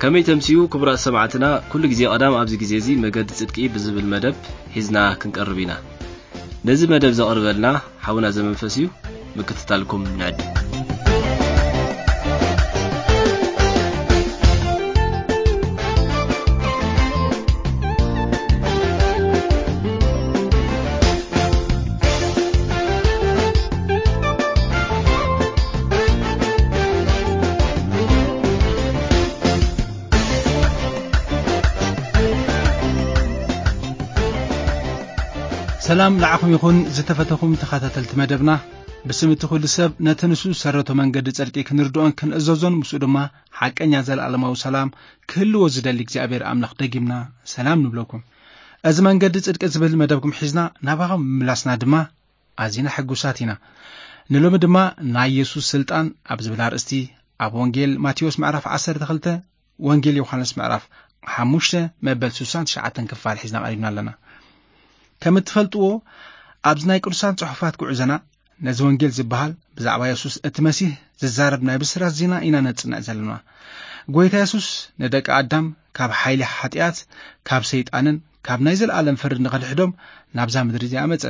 ከመይ ተምስዩ ክቡራት ሰማዕትና፣ ኩሉ ግዜ ቀዳም ኣብዚ ግዜ እዚ መገዲ ጽድቂ ብዝብል መደብ ሒዝና ክንቀርብ ኢና። ነዚ መደብ ዘቕርበልና ሓውና ዘመንፈስ እዩ። ምክትታልኩም ንዕድ። ሰላም ንዓኹም ይኹን ዝተፈተኹም ተኸታተልቲ መደብና። ብስም እቲ ኩሉ ሰብ ነቲ ንሱ ዝሰረቶ መንገዲ ጽድቂ ክንርድኦን ክንእዘዞን ምስኡ ድማ ሓቀኛ ዘለኣለማዊ ሰላም ክህልዎ ዝደሊ እግዚኣብሔር ኣምላኽ ደጊምና ሰላም ንብለኩም። እዚ መንገዲ ጽድቂ ዝብል መደብኩም ሒዝና ናባኹም ምምላስና ድማ ኣዚና ሕጉሳት ኢና። ንሎሚ ድማ ናይ የሱስ ስልጣን ኣብ ዝብል ኣርእስቲ ኣብ ወንጌል ማቴዎስ ምዕራፍ ዓሰርተ ክልተ፣ ወንጌል ዮሃንስ ምዕራፍ ሓሙሽተ መበል ስሳን ትሽዓተን ክፋል ሒዝና ቀሪብና ኣለና። ከም እትፈልጥዎ ኣብዚ ናይ ቅዱሳን ጽሑፋት ጉዕዞና ነዚ ወንጌል ዝበሃል ብዛዕባ የሱስ እቲ መሲህ ዝዛረብ ናይ ብስራት ዜና ኢና ነጽንዕ ዘለና። ጎይታ የሱስ ንደቂ ኣዳም ካብ ሓይሊ ሓጢኣት፣ ካብ ሰይጣንን ካብ ናይ ዘለኣለም ፍርዲ ንኽድሕዶም ናብዛ ምድሪ እዚኣ መጸ።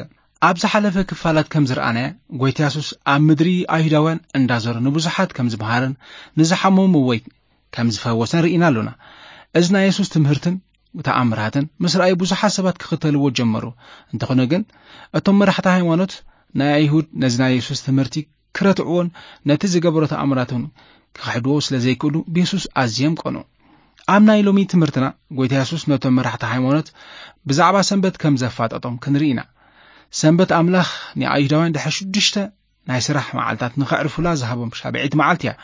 ኣብ ዝሓለፈ ክፋላት ከም ዝረኣናዮ፣ ጎይታ የሱስ ኣብ ምድሪ ኣይሁዳውያን እንዳዞረ ንብዙሓት ከም ዝመሃረን ንዝሓመሙ ወይ ከም ዝፈወሰን ርኢና ኣሎና። እዚ ናይ የሱስ ትምህርትን ተኣምራትን ምስ ረኣዩ ብዙሓት ሰባት ክኽተልዎ ጀመሩ። እንተኾነ ግን እቶም መራሕቲ ሃይማኖት ናይ ኣይሁድ ነዚ ናይ የሱስ ትምህርቲ ክረትዕዎን ነቲ ዝገበሮ ተኣምራትን ክኽሕድዎ ስለ ዘይክእሉ ብየሱስ ኣዝዮም ቀኑ። ኣብ ናይ ሎሚ ትምህርትና ጎይታ የሱስ ነቶም መራሕቲ ሃይማኖት ብዛዕባ ሰንበት ከም ዘፋጠጦም ክንርኢ ኢና። ሰንበት ኣምላኽ ንኣይሁዳውያን ድሕሪ ሽዱሽተ ናይ ስራሕ መዓልታት ንኸዕርፉላ ዝሃቦም ሻብዒት መዓልቲ እያ።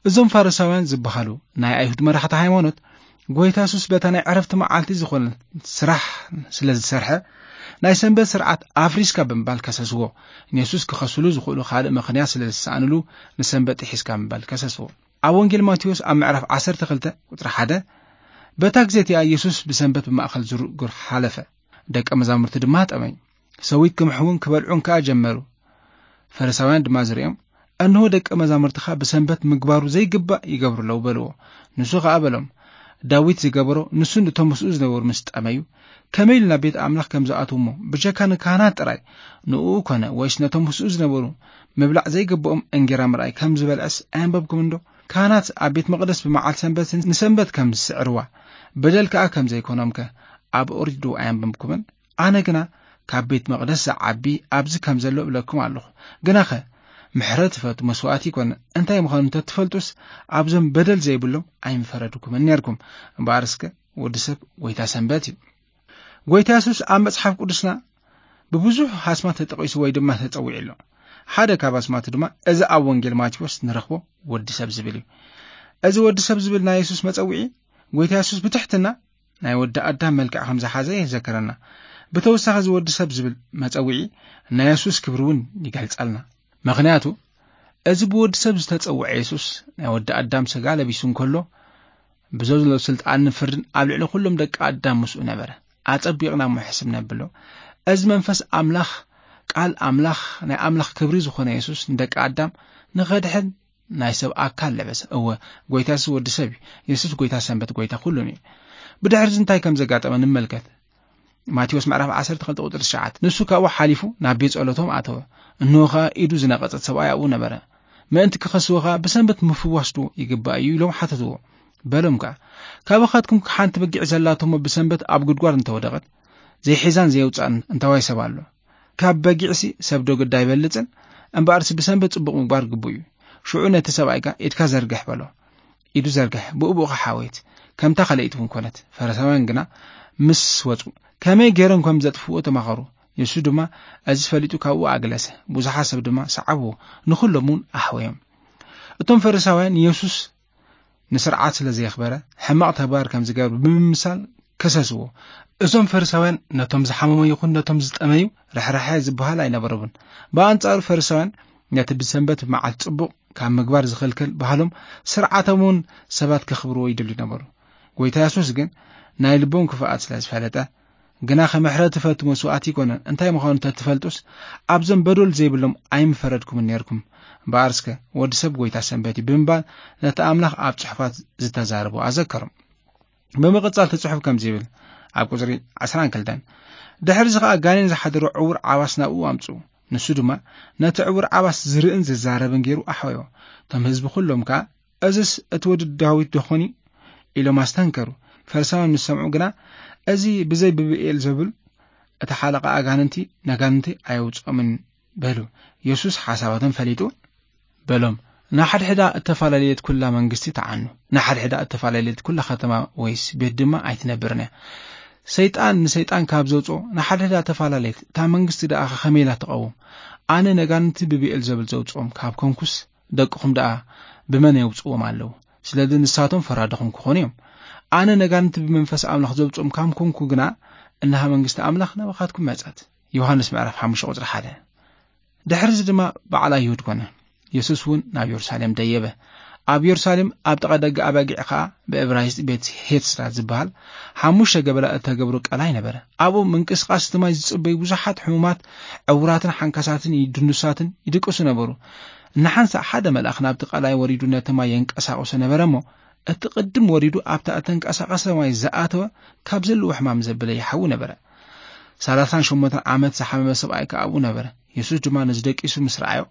እዞም ፋሪሳውያን ዝበሃሉ ናይ ኣይሁድ መራሕቲ ሃይማኖት ጎይታ የሱስ በታ ናይ ዕረፍቲ መዓልቲ ዝኾነ ስራሕ ስለ ዝሰርሐ ናይ ሰንበት ስርዓት ኣፍሪስካ ብምባል ከሰስዎ። ንየሱስ ክኸስሉ ዝኽእሉ ካልእ ምኽንያት ስለ ዝሰኣንሉ ንሰንበት ጥሒስካ ብምባል ከሰስዎ። ኣብ ወንጌል ማቴዎስ ኣብ ምዕራፍ ዓሰርተ ክልተ ቁጽሪ ሓደ፣ በታ ግዜ እቲኣ የሱስ ብሰንበት ብማእከል ዝርእ ዱር ሓለፈ። ደቀ መዛሙርቲ ድማ ጠመዩ። ሰዊት ክምሕውን ክበልዑን ከኣ ጀመሩ። ፈሪሳውያን ድማ ዝርእዮም፣ "እንሆ ደቀ መዛሙርትኻ ብሰንበት ምግባሩ ዘይግባእ ይገብሩ ኣለዉ" በልዎ። ንሱ ከኣ በሎም፣ "ዳዊት ዝገበሮ ንሱን እቶም ምስኡ ዝነበሩ ምስ ጠመዩ፣ ከመይ ኢሉ ናብ ቤት ኣምላኽ ከም ዝኣትዉ እሞ፣ ብጀካ ንካህናት ጥራይ፣ ንኡ ኮነ ወይስ ነቶም ምስኡ ዝነበሩ ምብላዕ ዘይግብኦም እንጌራ ምርኣይ ከም ዝበልዐስ ኣየንበብኩምን ዶ? ካህናት ኣብ ቤት መቕደስ ብመዓልቲ ሰንበት ንሰንበት ከም ዝስዕርዋ፣ በደል ከኣ ከም ዘይኮኖምከ ኣብ ኦሪት ዶ ኣየንበብኩምን? ኣነ ግና ካብ ቤት መቕደስ ዝዓቢ ኣብዚ ከም ዘሎ እብለኩም ኣለኹ። ግናኸ ምሕረት ትፈቱ መስዋእቲ ይኮነ እንታይ ምዃኑ እንተትፈልጡስ ኣብዞም በደል ዘይብሎም ኣይምፈረድኩምን ነርኩም። እምበኣር እስከ ወዲ ሰብ ጎይታ ሰንበት እዩ።" ጎይታ የሱስ ኣብ መጽሓፍ ቅዱስና ብብዙሕ ኣስማት ተጠቒሱ ወይ ድማ ተጸዊዑ ኣሎ። ሓደ ካብ ኣስማቱ ድማ እዚ ኣብ ወንጌል ማቴዎስ ንረኽቦ ወዲ ሰብ ዝብል እዩ። እዚ ወዲ ሰብ ዝብል ናይ የሱስ መጸውዒ ጎይታ የሱስ ብትሕትና ናይ ወዲ ኣዳም መልክዕ ከም ዝሓዘ የዘከረና። ብተወሳኺ እዚ ወዲ ሰብ ዝብል መጸውዒ ናይ የሱስ ክብሪ እውን ይገልጸልና። ምኽንያቱ እዚ ብወዲ ሰብ ዝተጸውዐ የሱስ ናይ ወዲ ኣዳም ስጋ ለቢሱ እንከሎ ብዘሎ ስልጣንን ፍርድን ኣብ ልዕሊ ኩሎም ደቂ ኣዳም ምስኡ ነበረ። ኣጸቢቕና እሞ ሕስብ ነብሎ። እዚ መንፈስ ኣምላኽ፣ ቃል ኣምላኽ፣ ናይ ኣምላኽ ክብሪ ዝኾነ የሱስ ንደቂ ኣዳም ንኸድሕን ናይ ሰብ ኣካል ለበሰ። እወ፣ ጎይታ የሱስ ወዲ ሰብ እዩ። የሱስ ጎይታ ሰንበት፣ ጎይታ ኩሉን እዩ። ብድሕሪ እዚ እንታይ ከም ዘጋጠመ ንመልከት። ማቴዎስ ምዕራፍ ዓሰርተ ክልተ ቁጽሪ ትሽዓተ፣ ንሱ ካብኡ ሓሊፉ ናብ ቤት ጸሎቶም ኣተወ። እንሆ ኸኣ ኢዱ ዝነቐጸት ሰብኣይ ኣብኡ ነበረ። ምእንቲ ክኸስዎ ኸኣ ብሰንበት ምፍዋስ ዶ ይግባእ እዩ ኢሎም ሓተትዎ። በሎም ከኣ፣ ካባኻትኩም ሓንቲ በጊዕ ዘላቶ እሞ ብሰንበት ኣብ ጉድጓድ እንተወደቐት፣ ዘይሒዛን ዘየውጻእን እንታዋይ ሰብ ኣሎ? ካብ በጊዕሲ ሰብ ዶ ግዳ ኣይበልጽን? እምበኣርሲ ብሰንበት ጽቡቕ ምግባር ግቡእ እዩ። ሽዑ ነቲ ሰብኣይ ከኣ ኢድካ ዘርግሕ በሎ። ኢዱ ዘርግሐ፣ ብኡ ብኡ ኸዓ ሓወየት፣ ከምታ ካልኣይቲ እውን ኮነት። ፈሪሳውያን ግና ምስ ወጹ፣ ከመይ ገይሮም ከም ዘጥፍእዎ ተማኸሩ። የሱስ ድማ እዚ ፈሊጡ ካብኡ ኣግለሰ። ብዙሓት ሰብ ድማ ሰዓብዎ፣ ንኹሎም እውን ኣሕወዮም። እቶም ፈሪሳውያን የሱስ ንስርዓት ስለ ዘየኽበረ፣ ሕማቕ ተግባር ከም ዝገብር ብምምሳል ከሰስዎ። እዞም ፈሪሳውያን ነቶም ዝሓመሙ ይኹን ነቶም ዝጠመዩ ርሕራሐ ዝበሃል ኣይነበሮምን። ብኣንጻሩ ፈሪሳውያን ነቲ ብሰንበት መዓልቲ ጽቡቕ ካብ ምግባር ዝኽልክል ባህሎም ስርዓቶም እውን ሰባት ከኽብርዎ ይደልዩ ነበሩ። ጎይታ የሱስ ግን ናይ ልቦም ክፍኣት ስለ ዝፈለጠ፣ ግናኸ ምሕረት ትፈቱ መስዋእቲ ኣይኮነን። እንታይ ምዃኑ እንተትፈልጡስ ኣብዞም በደል ዘይብሎም ኣይምፈረድኩምን ነርኩም። እምበኣር እስከ ወዲ ሰብ ጎይታ ሰንበት እዩ ብምባል ነቲ ኣምላኽ ኣብ ጽሑፋት ዝተዛረቦ ኣዘከሮም። ብምቕጻል እቲ ጽሑፍ ከምዚ ይብል፣ ኣብ ቁጽሪ ዕስራን ክልተን፣ ድሕሪ እዚ ኸኣ ጋኔን ዝሓደሮ ዕውር ዓባስ ናብኡ ኣምጽኡ። ንሱ ድማ ነቲ ዕውር ዓባስ ዝርእን ዝዛረብን ገይሩ ኣሕወዮ። እቶም ህዝቢ ኩሎም ከኣ፣ "እዝስ እቲ ወዲ ዳዊት ደኾን?" ኢሎም ኣስተንከሩ። ፈሪሳውያን ምስ ሰምዑ ግና፣ "እዚ ብዘይ ብብኤል ዘብል እቲ ሓለቓ ኣጋንንቲ ነጋንንቲ ኣየውጽኦምን" በሉ። የሱስ ሓሳባቶም ፈሊጡ በሎም፣ "ንሓድሕዳ እተፈላለየት ኩላ መንግስቲ ተዓኑ፣ ንሓድሕዳ እተፈላለየት ኩላ ከተማ ወይስ ቤት ድማ ኣይትነብርን እያ። ሰይጣን ንሰይጣን ካብ ዘውጽኦ ንሓድሕዳ ተፈላለየት፣ እታ መንግስቲ ደኣ ከመይ ኢላ ትቐውም? ኣነ ነጋንንቲ ብብኤል ዘብል ዘውጽኦም ካብ ኮንኩስ፣ ደቅኹም ደኣ ብመን የውጽዎም ኣለዉ? ስለዚ ንሳቶም ፈራድኹም ክኾኑ እዮም። ኣነ ነጋንንቲ ብመንፈስ ኣምላኽ ዘውጽኦም ካብ ኮንኩ ግና፣ እንሃ መንግስቲ ኣምላኽ ናባኻትኩም መጸት።" ዮሃንስ ምዕራፍ ሓሙሽተ ቁጽሪ ሓደ። ድሕሪ እዚ ድማ በዓል ኣይሁድ ኮነ። የሱስ እውን ናብ የሩሳሌም ደየበ። ኣብ የሩሳሌም ኣብ ጥቓ ደገ ኣባጊዕ ኸኣ፣ ብዕብራይስጥ ቤት ሄትስራ ዝበሃል፣ ሓሙሽተ ገበላ እተገብሮ ቀላይ ነበረ። ኣብኡ ምንቅስቓስ እቲ ማይ ዝጽበዩ ብዙሓት ሕሙማት፣ ዕውራትን ሓንካሳትን ድንዱሳትን ይድቅሱ ነበሩ። ንሓንሳእ ሓደ መልኣኽ ናብቲ ቀላይ ወሪዱ ነቲ ማይ የንቀሳቕሶ ነበረ እሞ፣ እቲ ቅድም ወሪዱ ኣብታ እተንቀሳቐሰ ማይ ዝኣተወ ካብ ዘለዎ ሕማም ዘበለ ይሓዊ ነበረ። ሰላሳን ሸሞንተን ዓመት ዝሓመመ ሰብኣይ ከኣ ኣብኡ ነበረ። የሱስ ድማ ነዚ ደቂሱ ምስ ረኣዮ፣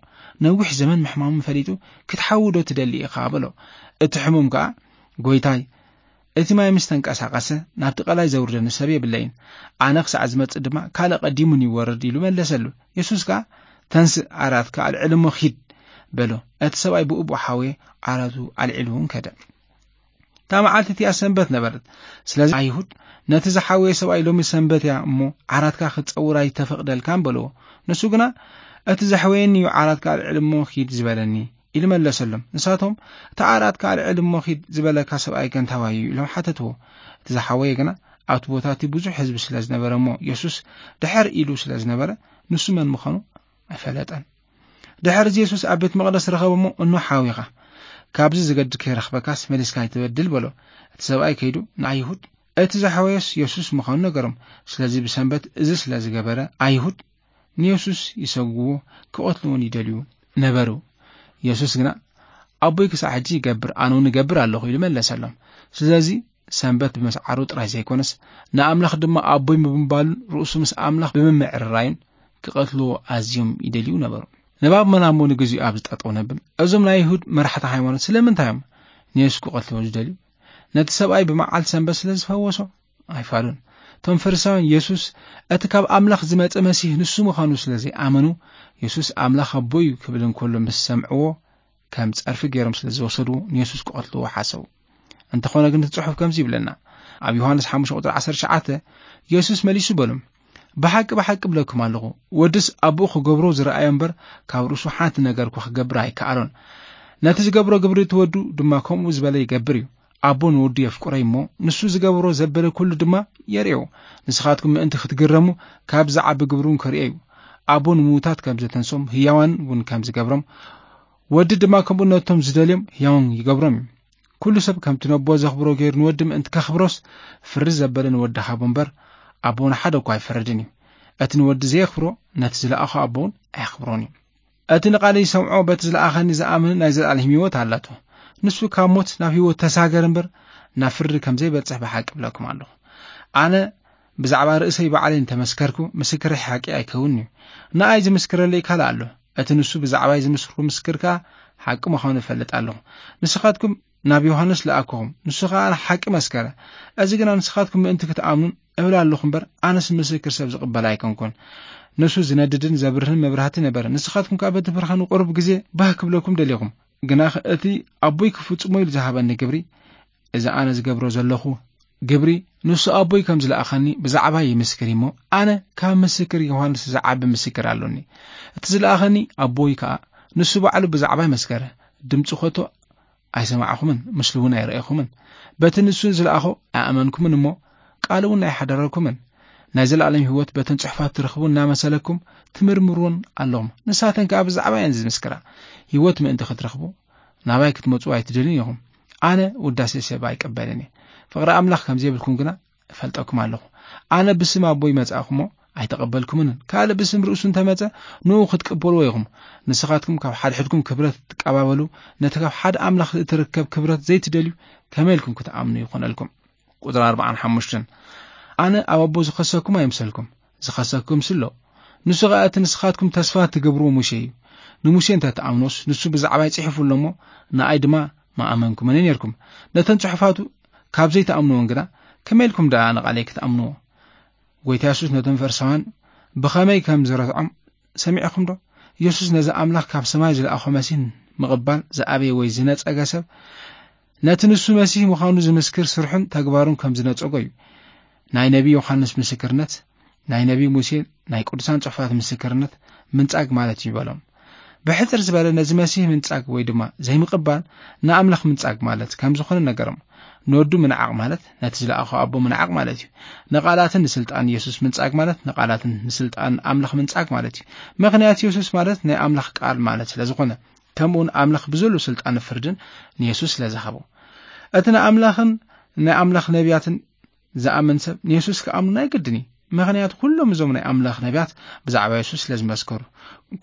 ነዊሕ ዘመን ምሕማሙ ፈሊጡ፣ "ክትሓዊ ዶ ትደሊ ኢኻ?" በሎ። እቲ ሕሙም ከኣ፣ "ጎይታይ፣ እቲ ማይ ምስ ተንቀሳቐሰ፣ ናብቲ ቀላይ ዘውርደኒ ሰብ የብለይን። ኣነ ክሳዕ ዝመጽእ ድማ ካልእ ቀዲሙኒ ይወርድ" ኢሉ መለሰሉ። የሱስ ከኣ፣ "ተንስእ፣ ዓራትካ ኣልዕል እሞ ኪድ" በሎ። እቲ ሰብኣይ ብኡብኡ ሓወየ፣ ዓራቱ ኣልዒሉ እውን ከደ። እታ መዓልቲ እቲኣ ሰንበት ነበረት። ስለዚ ኣይሁድ፣ "ነቲ ዝሓወየ ሰብኣይ ሎሚ ሰንበት እያ እሞ ዓራትካ ክትጸውር ኣይተፈቕደልካን" በልዎ። ንሱ ግና፣ "እቲ ዘሕወየኒ እዩ ዓራትካ ኣልዕል እሞ ኪድ ዝበለኒ" ኢሉ መለሰሎም። ንሳቶም፣ "እቲ ዓራትካ ኣልዕል እሞ ኪድ ዝበለካ ሰብኣይ ከ እንታዋይ እዩ?" ኢሎም ሓተትዎ። እቲ ዝሓወየ ግና ኣብቲ ቦታ እቲ ብዙሕ ህዝቢ ስለ ዝነበረ እሞ የሱስ ድሕር ኢሉ ስለ ዝነበረ፣ ንሱ መን ምዃኑ ኣይፈለጠን። ድሕሪ እዚ የሱስ ኣብ ቤት መቕደስ ረኸቦ እሞ፣ "እኖ ሓዊኻ፣ ካብዚ ዝገድድ ከይረኽበካስ መሊስካ ኣይትበድል" በሎ። እቲ ሰብኣይ ከይዱ ንኣይሁድ እቲ ዝሓወየስ የሱስ ምዃኑ ነገሮም። ስለዚ ብሰንበት እዚ ስለ ዝገበረ፣ ኣይሁድ ንየሱስ ይሰግዎ፣ ክቐትልዎን ይደልዩ ነበሩ። የሱስ ግና፣ "ኣቦይ ክሳዕ ሕጂ ይገብር፣ ኣነ እውን እገብር ኣለኹ" ኢሉ መለሰሎም። ስለዚ ሰንበት ብምስዓሩ ጥራይ ዘይኮነስ፣ ንኣምላኽ ድማ ኣቦይ ብምባሉን ርእሱ ምስ ኣምላኽ ብምምዕርራዩን ክቐትልዎ ኣዝዮም ይደልዩ ነበሩ። ንባብ መናሞ ንግዚኡ ኣብዚ ጠጠው ነብል። እዞም ናይ ይሁድ መራሕቲ ሃይማኖት ስለምንታይ እዮም ንየሱስ ክቐትልዎ ዝደልዩ? ነቲ ሰብኣይ ብመዓልቲ ሰንበት ስለ ዝፈወሶ? ኣይፋሉን። እቶም ፈሪሳውያን የሱስ እቲ ካብ ኣምላኽ ዝመጸ መሲህ ንሱ ምዃኑ ስለ ዘይኣመኑ፣ የሱስ ኣምላኽ ኣቦ እዩ ክብል እንከሎ ምስ ሰምዕዎ፣ ከም ጸርፊ ገይሮም ስለ ዝወሰድዎ ንየሱስ ክቐትልዎ ሓሰቡ። እንተኾነ ግን እቲ ጽሑፍ ከምዚ ይብለና። ኣብ ዮሃንስ ሓሙሽተ ቁጽሪ ዓሰርተ ትሽዓተ የሱስ መሊሱ በሎም፣ "ብሓቂ ብሓቂ እብለኩም ኣለኹ፣ ወድስ ኣቦኡ ክገብሮ ዝረኣዮ እምበር ካብ ርእሱ ሓንቲ ነገር እኳ ክገብር ኣይከኣሎን። ነቲ ዝገብሮ ግብሪ እቲ ወዱ ድማ ከምኡ ዝበለ ይገብር እዩ። ኣቦ ንወዱ የፍቅሮ እሞ ንሱ ዝገብሮ ዘበለ ኩሉ ድማ የርእዮ። ንስኻትኩም ምእንቲ ክትግረሙ ካብ ዝዓቢ ግብሩ እውን ከርእዮ እዩ። ኣቦ ንምዉታት ከም ዘተንሶም ህያዋን እውን ከም ዝገብሮም፣ ወዲ ድማ ከምኡ ነቶም ዝደልዮም ህያውን ይገብሮም እዩ። ኩሉ ሰብ ከምቲ ነቦ ዘኽብሮ ገይሩ ንወዲ ምእንቲ ከኽብሮስ ፍርዲ ዘበለ ንወዲ ሃቦ እምበር ኣቦ ንሓደ እኳ ኣይፈርድን እዩ። እቲ ንወዲ ዘየኽብሮ ነቲ ዝለኣኾ ኣቦ እውን ኣየኽብሮን እዩ። እቲ ንቓለይ ዝሰምዖ በቲ ዝለኣኸኒ ዝኣምን ናይ ዘለኣለም ህይወት ኣላቶ። ንሱ ካብ ሞት ናብ ህይወት ተሳገር እምበር ናብ ፍርዲ ከም ዘይበጽሕ ብሓቂ እብለኩም ኣለኹ። ኣነ ብዛዕባ ርእሰይ ባዕለይ እንተመስከርኩ፣ ምስክረይ ሓቂ ኣይከውንን እዩ። ንኣይ ዝምስክረለይ ካልእ ኣሎ። እቲ ንሱ ብዛዕባይ ዝምስክሮ ምስክር ከኣ ሓቂ ምዃኑ እፈልጥ ኣለኹ። ንስኻትኩም ናብ ዮሃንስ ለኣክኹም፣ ንሱ ኸኣ ሓቂ መስከረ። እዚ ግና ንስኻትኩም ምእንቲ ክትኣምኑን እብል ኣለኹ እምበር፣ ኣነስ ምስክር ሰብ ዝቕበል ኣይኮንኩን። ንሱ ዝነድድን ዘብርህን መብራህቲ ነበረ። ንስኻትኩም ከኣ በቲ ብርሃኑ ቁሩብ ግዜ ባህ ክብለኩም ደሊኹም። ግናኸ እቲ ኣቦይ ክፍጽሞ ኢሉ ዝሃበኒ ግብሪ፣ እዚ ኣነ ዝገብሮ ዘለኹ ግብሪ፣ ንሱ ኣቦይ ከም ዝለኣኸኒ ብዛዕባይ ይምስክር እሞ፣ ኣነ ካብ ምስክር ዮሃንስ ዝዓቢ ምስክር ኣሎኒ። እቲ ዝለኣኸኒ ኣቦይ ከኣ ንሱ ባዕሉ ብዛዕባይ መስከረ። ድምጹ ኸቶ ኣይሰማዕኹምን፣ ምስሉ እውን ኣይረኣኹምን። በቲ ንሱ ዝለኣኾ ኣይኣመንኩምን እሞ፣ ቃሉ እውን ኣይሓደረኩምን። ናይ ዘለኣለም ህይወት በተን ጽሑፋት ትረኽቡ እናመሰለኩም ትምርምርዎን ኣለኹም። ንሳተን ከኣ ብዛዕባ እየን ዝምስክራ። ህይወት ምእንቲ ክትረኽቡ ናባይ ክትመጹ ኣይትደልዩን ኢኹም። ኣነ ውዳሴ ሰብ ኣይቀበልን እየ። ፍቕሪ ኣምላኽ ከም ዘይብልኩም ግና እፈልጠኩም ኣለኹ። ኣነ ብስም ኣቦይ መጻእኩሞ ኣይተቐበልኩምንን። ካልእ ብስም ርእሱ እንተመጸ ንኡ ክትቀበልዎ ኢኹም። ንስኻትኩም ካብ ሓድሕድኩም ክብረት ትቀባበሉ፣ ነቲ ካብ ሓደ ኣምላኽ እትርከብ ክብረት ዘይትደልዩ ከመይ ኢልኩም ክትኣምኑ ይኾነልኩም? ቁጽሪ ኣርባዓን ሓሙሽተን፣ ኣነ ኣብ ኣቦ ዝኸሰኩም ኣይምሰልኩም፣ ዝኸሰኩም ስሎ። ንሱ ኸኣ እቲ ንስኻትኩም ተስፋ ትገብርዎ ሙሴ እዩ። ንሙሴ እንተ ትኣምኖስ ንሱ ብዛዕባይ ጽሒፉ ኣሎ እሞ ንኣይ ድማ ምኣመንኩምኒ ነርኩም። ነተን ጽሑፋቱ ካብ ዘይትኣምንወን ግና ከመይ ኢልኩም ደኣ ንቓለይ ክትኣምንዎ? ጎይታ የሱስ ነቶም ፈሪሳውያን ብኸመይ ከም ዝረትዖም ሰሚዕኹም ዶ? የሱስ ነዚ ኣምላኽ ካብ ሰማይ ዝለኣኾ መሲህ ምቕባል ዝኣበየ ወይ ዝነጸገ ሰብ ነቲ ንሱ መሲህ ምዃኑ ዝምስክር ስርሑን ተግባሩን ከም ዝነጸጎ እዩ። ናይ ነቢ ዮሃንስ ምስክርነት፣ ናይ ነቢ ሙሴ፣ ናይ ቅዱሳን ጽሑፋት ምስክርነት ምንጻግ ማለት እዩ በሎም። ብሕጽር ዝበለ ነዚ መሲህ ምንጻግ ወይ ድማ ዘይምቕባል ንኣምላኽ ምንጻግ ማለት ከም ዝኾነ ነገሮም። ንወዱ ምንዓቕ ማለት ነቲ ዝለኣኾ ኣቦ ምንዓቕ ማለት እዩ። ንቓላትን ንስልጣን የሱስ ምንጻግ ማለት ንቓላትን ንስልጣን ኣምላኽ ምንጻግ ማለት እዩ። ምኽንያት የሱስ ማለት ናይ ኣምላኽ ቃል ማለት ስለ ዝኾነ፣ ከምኡውን ኣምላኽ ብዘሎ ስልጣን ፍርድን ንየሱስ ስለ ዝሃቦ፣ እቲ ንኣምላኽን ናይ ኣምላኽ ነቢያትን ዝኣምን ሰብ ንየሱስ ክኣምኑ ናይ ግድን እዩ። ምኽንያቱ ኩሎም እዞም ናይ ኣምላኽ ነቢያት ብዛዕባ የሱስ ስለ ዝመስከሩ፣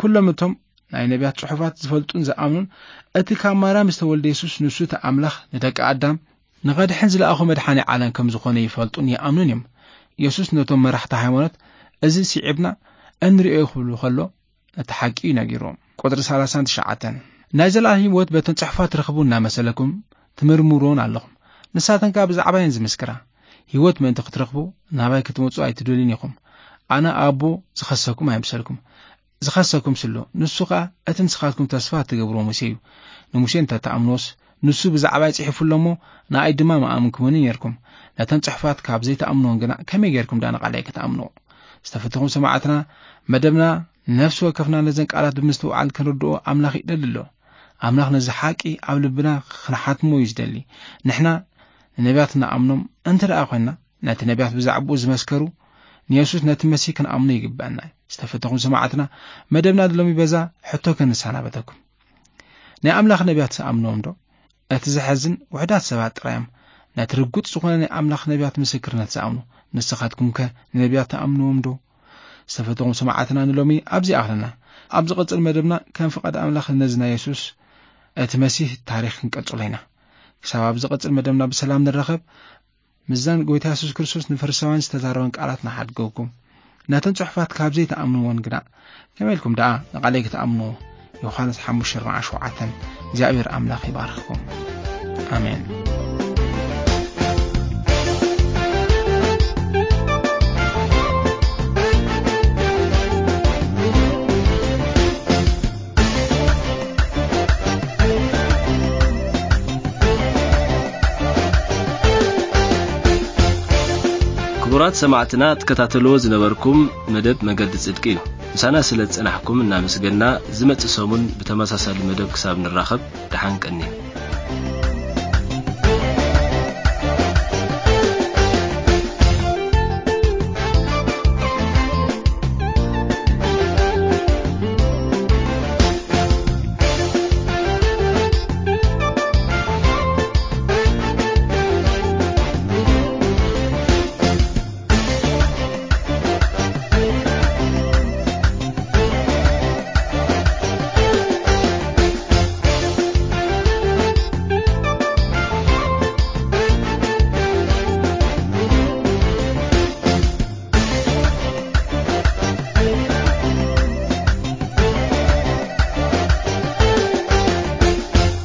ኩሎም እቶም ናይ ነቢያት ጽሑፋት ዝፈልጡን ዝኣምኑን እቲ ካብ ማርያም ዝተወልደ የሱስ ንሱ እቲ ኣምላኽ ንደቂ ኣዳም ንኸድሕን ዝለኣኹ መድሓኒ ዓለም ከም ዝኾነ ይፈልጡን ይኣምኑን እዮም። የሱስ ነቶም መራሕቲ ሃይማኖት እዚ ስዒብና እንርእዮ ክብሉ ከሎ እቲ ሓቂ እዩ ነጊርዎም። ቁጽሪ ሰላሳን ትሽዓተን፣ ናይ ዘለኣለም ህይወት በተን ጽሑፋት ትረኽቡ እናመሰለኩም ትምርምርዎን ኣለኹም። ንሳተን ከኣ ብዛዕባየን ዝምስክራ። ህይወት ምእንቲ ክትረኽቡ ናባይ ክትመጹ ኣይትደልዩን ኢኹም። ኣነ ኣቦ ዝኸሰኩም ኣይምሰልኩም። ዝኸሰኩም ስሎ፣ ንሱ ኸኣ እቲ ንስኻትኩም ተስፋ እትገብርዎ ሙሴ እዩ። ንሙሴ እንተ ትኣምንዎስ፣ ንሱ ብዛዕባይ ጽሒፉ ኣሎ እሞ፣ ንኣይ ድማ ምኣምንኩምኒ ነርኩም። ነተን ጽሑፋት ካብ ዘይትኣምንወን ግና ከመይ ጌርኩም ደኣ ንቓለይ ክትኣምንዎ? ዝተፈተኹም ሰማዕትና፣ መደብና ነፍሲ ወከፍና ነዘን ቃላት ብምስትውዓል ክንርድኦ ኣምላኽ ይደሊ ኣሎ። ኣምላኽ ነዚ ሓቂ ኣብ ልብና ክንሓትሞ እዩ ዝደሊ። ንሕና ንነቢያት ንኣምኖም እንተ ደኣ ኾንና፣ ነቲ ነቢያት ብዛዕባኡ ዝመስከሩ ንየሱስ ነቲ መሲህ ክንኣምኖ ይግብአና። ዝተፈተኹም ሰማዕትና፣ መደብና ሎሚ በዛ ሕቶ ክንሰናበተኩም። ናይ ኣምላኽ ነቢያት ትኣምንዎም ዶ? እቲ ዘሐዝን ውሑዳት ሰባት ጥራይ እዮም ነቲ ርጉጽ ዝኾነ ናይ ኣምላኽ ነቢያት ምስክርነት ዝኣምኑ። ንስኻትኩም ከ ንነቢያት ትኣምንዎም ዶ? ዝተፈተኹም ሰማዕትና ንሎሚ ኣብዚ ኣኽለና። ኣብ ዝቐጽል መደብና ከም ፍቓድ ኣምላኽ ነዚ ናይ የሱስ እቲ መሲህ ታሪኽ ክንቀጽሎ ኢና። ክሳብ ኣብ ዝቐጽል መደብና ብሰላም ንራኸብ። ምስዘን ጎይታ የሱስ ክርስቶስ ንፈሪሳውያን ዝተዛረበን ቃላት ንሓድገኩም። ነተን ጽሑፋት ካብ ዘይትኣምንወን ግና ከመይ ኢልኩም ደኣ ንቓለይ ክትኣምንዎ? ዮሃንስ ሓሙሽተ ኣርባዓ ሸውዓተን። እግዚኣብሔር ኣምላኽ ይባርኽኩም። ኣሜን። ክቡራት ሰማዕትና፣ ትከታተልዎ ዝነበርኩም መደብ መገዲ ጽድቂ እዩ። ምሳና ስለ ዝጸናሕኩም እናመስገንና፣ ዝመጽእ ሰሙን ብተመሳሳሊ መደብ ክሳብ ንራኸብ፣ ደሓን ቀንዩ።